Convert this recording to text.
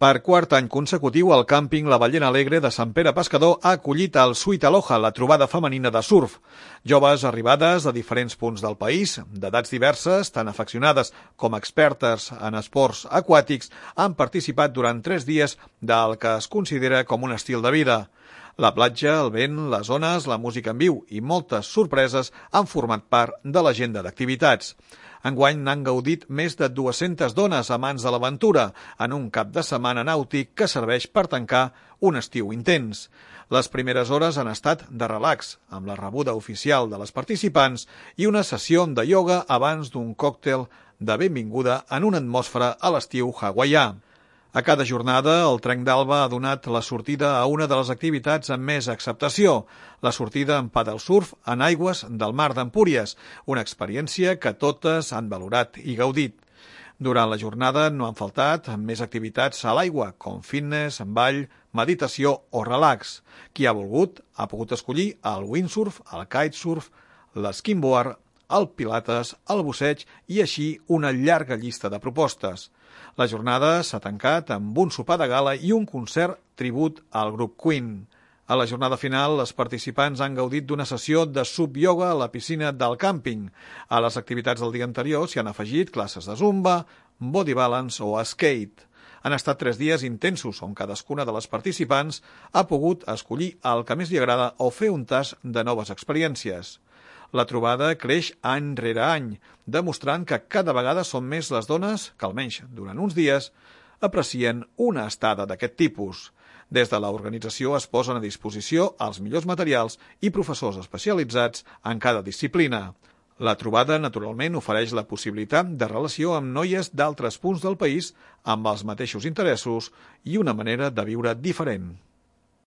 Per quart any consecutiu, el càmping La Ballena Alegre de Sant Pere Pescador ha acollit el Sweet Aloha, la trobada femenina de surf. Joves arribades de diferents punts del país, d'edats diverses, tant afeccionades com expertes en esports aquàtics, han participat durant 3 dies del que es considera com un estil de vida. La platja, el vent, les ones, la música en viu i moltes sorpreses han format part de l'agenda d'activitats. Enguany n'han gaudit més de 200 dones amants de l'aventura en un cap de setmana nàutic que serveix per tancar un estiu intens. Les primeres hores han estat de relax, amb la rebuda oficial de les participants i una sessió de ioga abans d'un còctel de benvinguda en una atmosfera a l'estiu hawaià. A cada jornada, el Trenc d'Alba ha donat la sortida a una de les activitats amb més acceptació, la sortida en paddle surf en aigües del mar d'Empúries, una experiència que totes han valorat i gaudit. Durant la jornada no han faltat més activitats a l'aigua, com fitness, ball, meditació o relax. Qui ha volgut ha pogut escollir el windsurf, el kitesurf, l'esquimboard, el pilates, el busseig i així una llarga llista de propostes. La jornada s'ha tancat amb un sopar de gala i un concert tribut al grup Queen. A la jornada final, els participants han gaudit d'una sessió de sub-yoga a la piscina del càmping. A les activitats del dia anterior s'hi han afegit classes de zumba, body balance o skate. Han estat 3 dies intensos on cadascuna de les participants ha pogut escollir el que més li agrada o fer un tast de noves experiències. La trobada creix any rere any, demostrant que cada vegada són més les dones que, almenys durant uns dies, aprecien una estada d'aquest tipus. Des de l'organització es posen a disposició els millors materials i professors especialitzats en cada disciplina. La trobada, naturalment, ofereix la possibilitat de relació amb noies d'altres punts del país amb els mateixos interessos i una manera de viure diferent.